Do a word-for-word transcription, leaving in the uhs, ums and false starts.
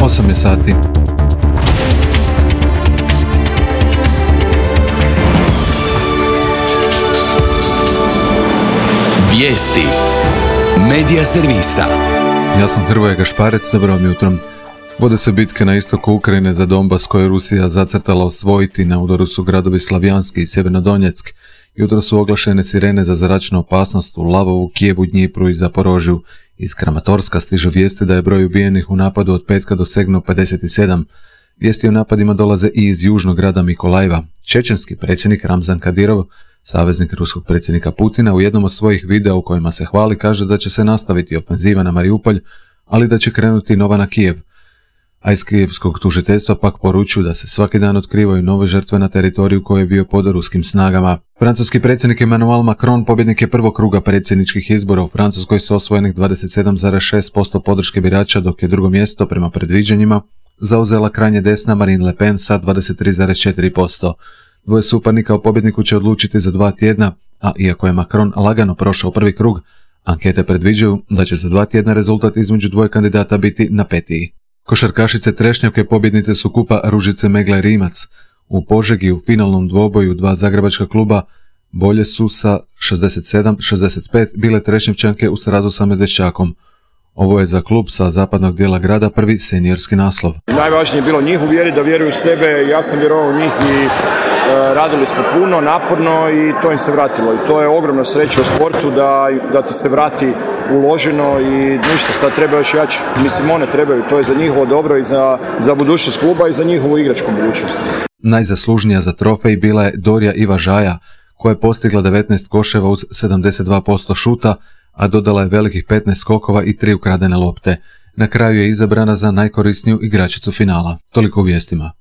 osam je sati. Vijesti Medija servisa. Ja sam Hrvoje Gašparec, dobro vam jutrom. Vode se bitke na istoku Ukrajine za Donbas koje je Rusija zacrtala osvojiti. Na udaru su gradovi Slavjanski i Sjevernodonjeck. Jutro su oglašene sirene za zračnu opasnost u Lavovu, Kijevu, Dnjipru i Zaporožju. Iz Kramatorska stižu vijesti da je broj ubijenih u napadu od petka dosegnuo pedeset sedam. Vijesti o napadima dolaze i iz južnog grada Mikolajeva. Čečenski predsjednik Ramzan Kadirov, saveznik ruskog predsjednika Putina, u jednom od svojih videa u kojima se hvali kaže da će se nastaviti ofenziva na Mariupolj, ali da će krenuti nova na Kijev. A iz kijevskog tužiteljstva pak poručuju da se svaki dan otkrivaju nove žrtve na teritoriju koji je bio pod ruskim snagama. Francuski predsjednik Emmanuel Macron pobjednik je prvog kruga predsjedničkih izbora u Francuskoj s osvojenih dvadeset sedam zarez šest posto podrške birača, dok je drugo mjesto prema predviđanjima zauzela krajnje desna Marine Le Pen sa dvadeset tri zarez četiri posto. Dvoje suparnika o pobjedniku će odlučiti za dva tjedna, a iako je Macron lagano prošao prvi krug, ankete predviđaju da će za dva tjedna rezultat između dvoje kandidata biti napetiji. Košarkašice Trešnjevke pobjednice su kupa Ružice Megla Rimac. U Požegi u finalnom dvoboju dva zagrebačka kluba bolje su sa šezdeset sedam šezdeset pet bile Trešnjevčanke u srazu sa Medveščakom. Ovo je za klub sa zapadnog dijela grada prvi seniorski naslov. Najvažnije je bilo njih uvjeriti da vjeruju u sebe, ja sam vjerovao u njih i e, radili smo puno, naporno i to im se vratilo. I to je ogromna sreća u sportu da, da ti se vrati uloženo i ništa, sad treba još jače. Mislim, one trebaju, to je za njihovo dobro i za, za budućnost kluba i za njihovu igračku budućnost. Najzaslužnija za trofej bila je Dorija Iva-Žaja, koja je postigla devetnaest koševa uz sedamdeset dva posto šuta, a dodala je velikih petnaest skokova i tri ukradene lopte. Na kraju je izabrana za najkorisniju igračicu finala. Toliko u vijestima.